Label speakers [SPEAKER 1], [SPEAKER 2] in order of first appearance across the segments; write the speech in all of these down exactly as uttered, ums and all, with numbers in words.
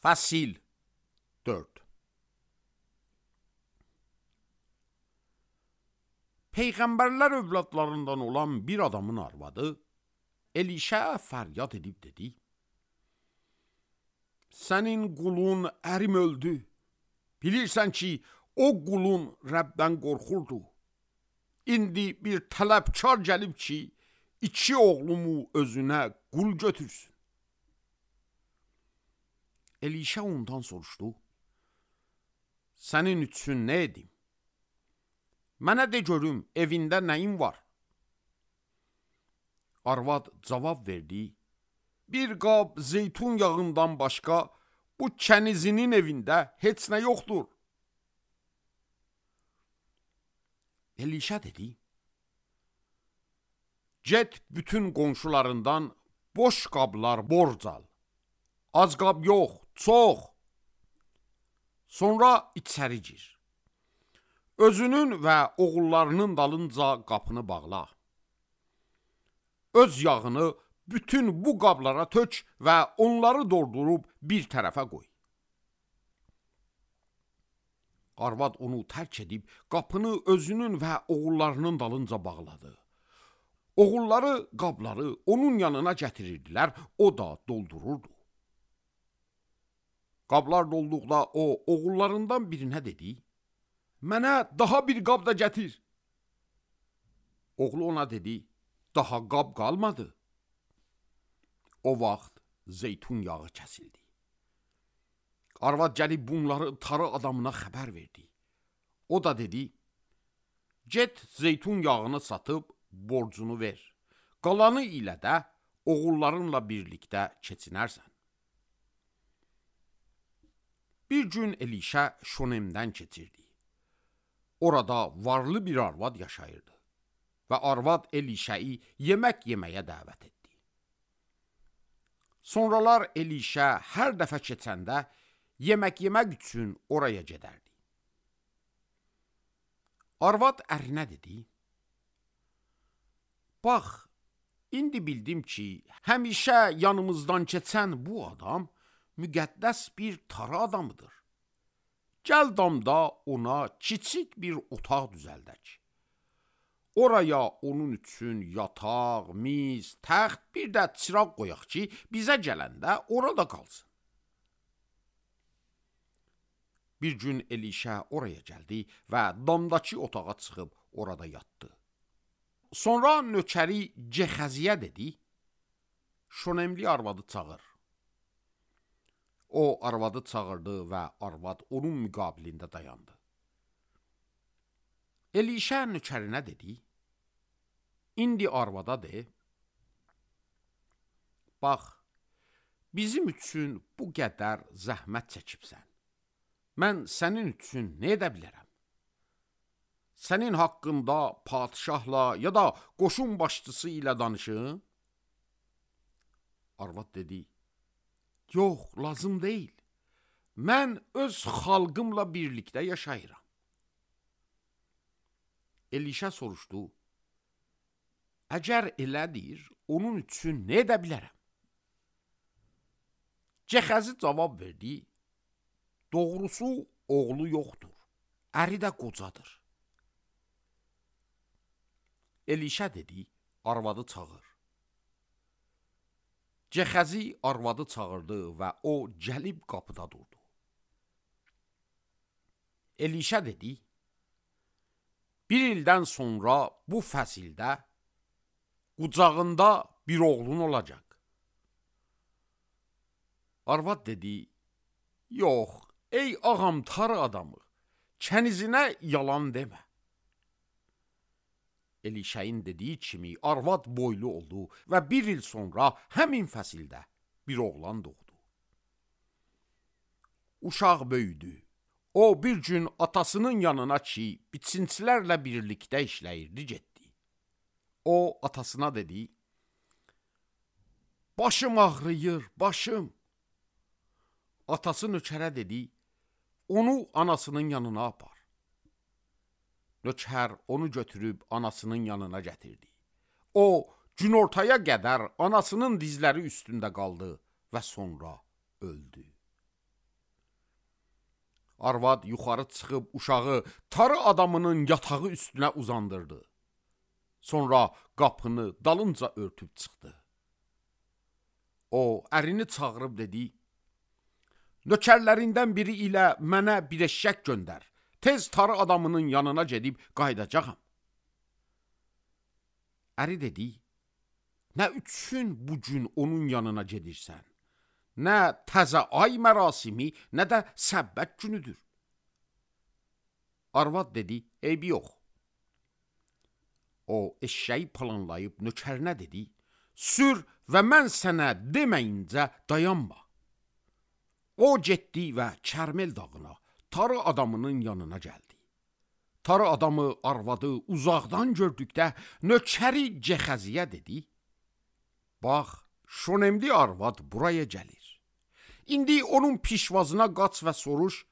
[SPEAKER 1] Fəsil dörd. Peyğəmbərlər övladlarından olan bir adamın arvadı Elişə fəryad edib dedi: Sənin qulun ərim öldü. Bilirsən ki, o qulun Rəbdən qorxurdu. İndi bir tələbkar gəlib ki, iki oğlumu özünə qul götürsün. Elişə ondan soruşdu: Sənin üçün nə edim? Mənə de görüm, evində nəyin var? Arvad cavab verdi: Bir qab zeytun yağından başqa bu kənizinin evində heç nə yoxdur. Elişə dedi: Get bütün qonşularından boş qablar borc al. Az qab yox, çox. Sonra içəri gir. Özünün və oğullarının dalınca qapını bağla. Öz yağını bütün bu qablara tök və onları doldurub bir tərəfə qoy. Arvad onu tərk edib qapını özünün və oğullarının dalınca bağladı. Oğulları qabları onun yanına gətirirdilər, o da doldururdu. Qablar dolduqda o oğullarından birinə dedi: Mənə daha bir qab da gətir. Oğlu ona dedi: Daha qab qalmadı. O vaxt zeytun yağı kəsildi. Arvad gəlib bunları tarı adamına xəbər verdi. O da dedi: Get zeytun yağını satıb borcunu ver. Qalanı ilə də oğullarınla birlikdə keçinərsən. Bir gün Elişə Şonemdən keçirdi. Orada varlı bir arvad yaşayırdı və arvad Elişəyi yemək yeməyə dəvət etdi. Sonralar Elişə hər dəfə keçəndə yemək yemək üçün oraya gedərdi. Arvad ərinə dedi: Bax, indi bildim ki, həmişə yanımızdan keçən bu adam müqəddəs bir tarı adamıdır. Gəl damda ona kiçik bir otaq düzəldək. Oraya onun üçün yataq, miz, təxt, bir də çıraq qoyaq ki, bizə gələndə orada qalsın. Bir gün Elişə oraya gəldi və damdakı otağa çıxıb orada yatdı. Sonra nökəri Gexəziyə dedi: Şonemli arvadı çağır. O arvadı çağırdı və arvad onun müqabilində dayandı. Elişə nökərinə dedi: İndi arvada de, bax, bizim üçün bu qədər zəhmət çəkibsən. Mən sənin üçün nə edə bilərəm? Sənin haqqında padişahla ya da qoşun başçısı ilə danışın? Arvad dedi: Yox, lazım deyil. Mən öz xalqımla birlikdə yaşayıram. Elişə soruşdu: Əgər elədir, onun üçün nə edə bilərəm? Gexəzi cavab verdi: Doğrusu oğlu yoxdur, əri də qocadır. Elişə dedi: Arvadı çağır. Gexəzi arvadı çağırdı və o gəlib qapıda durdu. Elişə dedi: Bir ildən sonra bu fəsildə qucağında bir oğlun olacaq. Arvad dedi: Yox, ey ağam tarı adamı, kənizinə yalan demə. Elişəyin dediyi kimi arvad boylu oldu və bir il sonra həmin fəsildə bir oğlan doğdu. Uşaq böyüdü. O bir gün atasının yanına ki, biçinçilərlə birlikdə işləyirdi, getdi. O atasına dedi: Başım ağrıyır, başım. Atası nökərə dedi: Onu anasının yanına apar. Nökər onu götürüb anasının yanına gətirdi. O, günortaya qədər anasının dizləri üstündə qaldı və sonra öldü. Arvad yuxarı çıxıb uşağı tarı adamının yatağı üstünə uzandırdı. Sonra qapını dalınca örtüb çıxdı. O, ərini çağırıb dedi, nökərlərindən biri ilə mənə bir eşşək göndər. Tez tarı adamının yanına gedib qaydacağam. Əri dedi, nə üçün bu gün onun yanına gedirsən? Nə təzə ay mərasimi, nə də səbbət günüdür. Arvad dedi, eybi yox. O, eşşəyi planlayıb nökərinə dedi, sür və mən sənə deməyincə dayanma. O getdi və Kərmel dağına, tarı adamının yanına gəldi. Tarı adamı arvadı uzaqdan gördükdə nökəri Cəxəziyə dedi, bax, şonemli arvad buraya gəlir. İndi onun pişvazına qaç və soruş,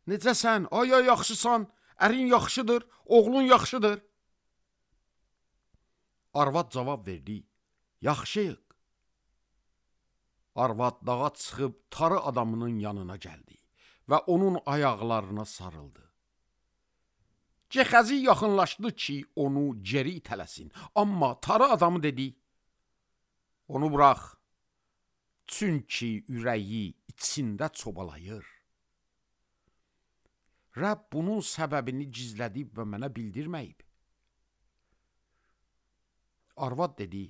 [SPEAKER 1] necəsən, aya yaxşısan, ərin yaxşıdır, oğlun yaxşıdır. Arvad cavab verdi, yaxşıyıq. Arvad dağa çıxıb tarı adamının yanına gəldi və onun ayaqlarına sarıldı. Cəxəzi yaxınlaşdı ki, onu geri itələsin, amma tarı adamı dedi, onu burax, çünki ürəyi içində çobalayır. Rəbb bunun səbəbini gizlədib və mənə bildirməyib. Arvad dedi,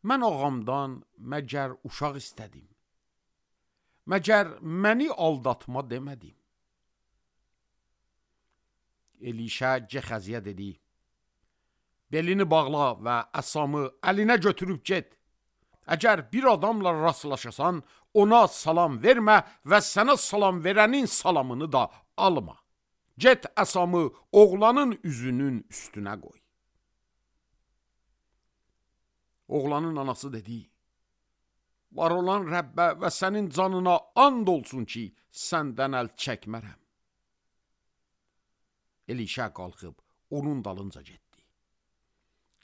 [SPEAKER 1] mən ağamdan məgər uşaq istədim. Məgər məni aldatma demədim. Elişə Cəxəziyə dedi, belini bağla və əsamı əlinə götürüb get. Əgər bir adamla rastlaşasan, ona salam vermə və sənə salam verənin salamını da alma. Get əsamı oğlanın üzünün üstünə qoy. Oğlanın anası dedi, var olan Rəbbə və sənin canına and olsun ki, səndən əl çəkmərəm. Elişə qalxıb onun dalınca getdi.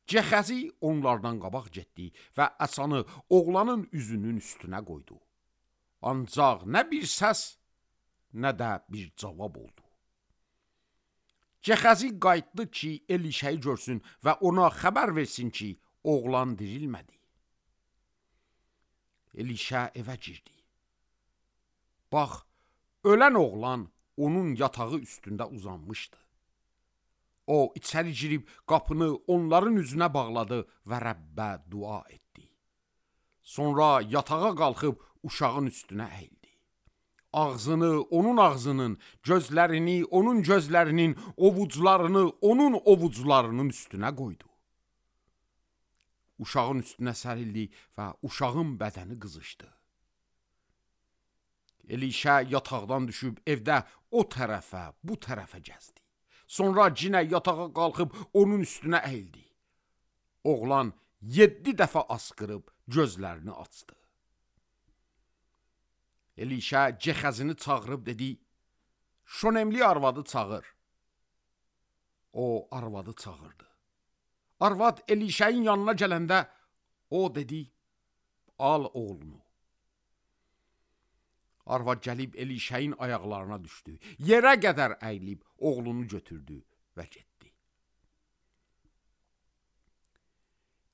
[SPEAKER 1] Cəxəzi onlardan qabaq getdi və əsanı oğlanın üzünün üstünə qoydu. Ancaq nə bir səs, nə də bir cavab oldu. Cəxəzi qayıtdı ki, Elişəyi görsün və ona xəbər versin ki, oğlan dirilmədi. Elişə evə girdi. Bax, ölən oğlan onun yatağı üstündə uzanmışdı. O, içəri girib qapını onların üzünə bağladı və Rəbbə dua etdi. Sonra yatağa qalxıb uşağın üstünə əyildi. Ağzını onun ağzının, gözlərini onun gözlərinin, ovucularını onun ovucularının üstünə qoydu. Uşağın üstünə sərildi və uşağın bədəni qızışdı. Elişə yataqdan düşüb evdə o tərəfə, bu tərəfə gəzdi. Sonra cinə yatağa qalxıb onun üstünə əyildi. Oğlan yeddi dəfə asqırıb gözlərini açdı. Elişə Cəxəzini çağırıb dedi, şonemli arvadı çağır. O arvadı çağırdı. Arvad Elişəyin yanına gələndə o dedi, al oğlunu. Arvad gəlib Elişəyin ayaqlarına düşdü. Yerə qədər əyilib oğlunu götürdü və getdi.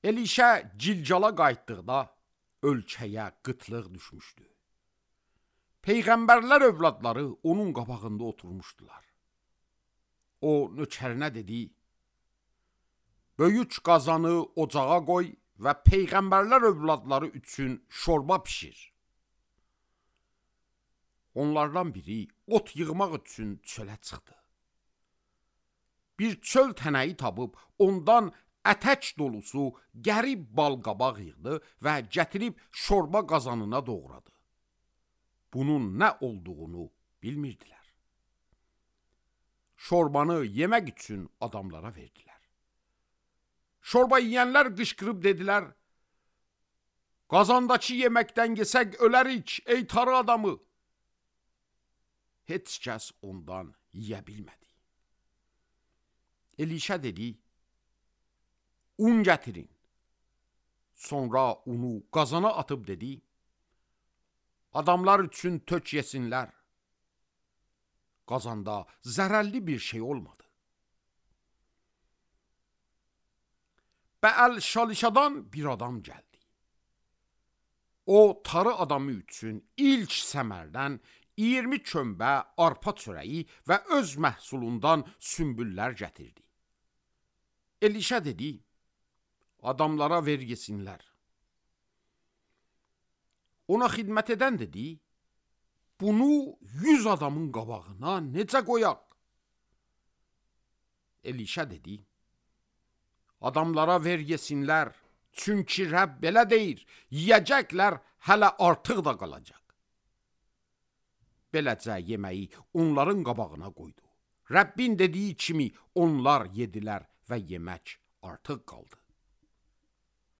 [SPEAKER 1] Elişə Cilcala qayıtdıqda ölkəyə qıtlıq düşmüşdü. Peyğəmbərlər övladları onun qabağında oturmuşdular. O nökərinə dedi, böyük qazanı ocağa qoy və peyğəmbərlər övladları üçün şorba pişir. Onlardan biri ot yığmaq üçün çölə çıxdı. Bir çöl tənəyi tapıb ondan ətək dolusu qərib balqabaq yığdı və gətirib şorba qazanına doğradı. Bunun nə olduğunu bilmirdilər. Şorbanı yemək üçün adamlara verdilər. Şorba yiyənlər qışqırıb dedilər, qazandakı yeməkdən yesək ölərik, ey tarı adamı. Heç kəs ondan yiyə bilmədi. Elişə dedi, un gətirin. Sonra unu qazana atıb dedi, adamlar üçün tök yesinlər. qazanda zərərli bir şey olmadı. Bəəl Şalişadan bir adam gəldi. O, tarı adamı üçün ilk səmərdən iyirmi kömbə arpa çörəyi və öz məhsulundan sümbüllər gətirdi. Elişə dedi, adamlara ver yesinlər. Ona xidmət edən dedi, bunu yüz adamın qabağına necə qoyaq? Elişə dedi, adamlara ver yesinlər, çünki Rəbb belə deyir, yiyəcəklər hələ artıq da qalacaq. Beləcə yeməyi onların qabağına qoydu. Rəbbin dediyi kimi onlar yedilər və yemək artıq qaldı.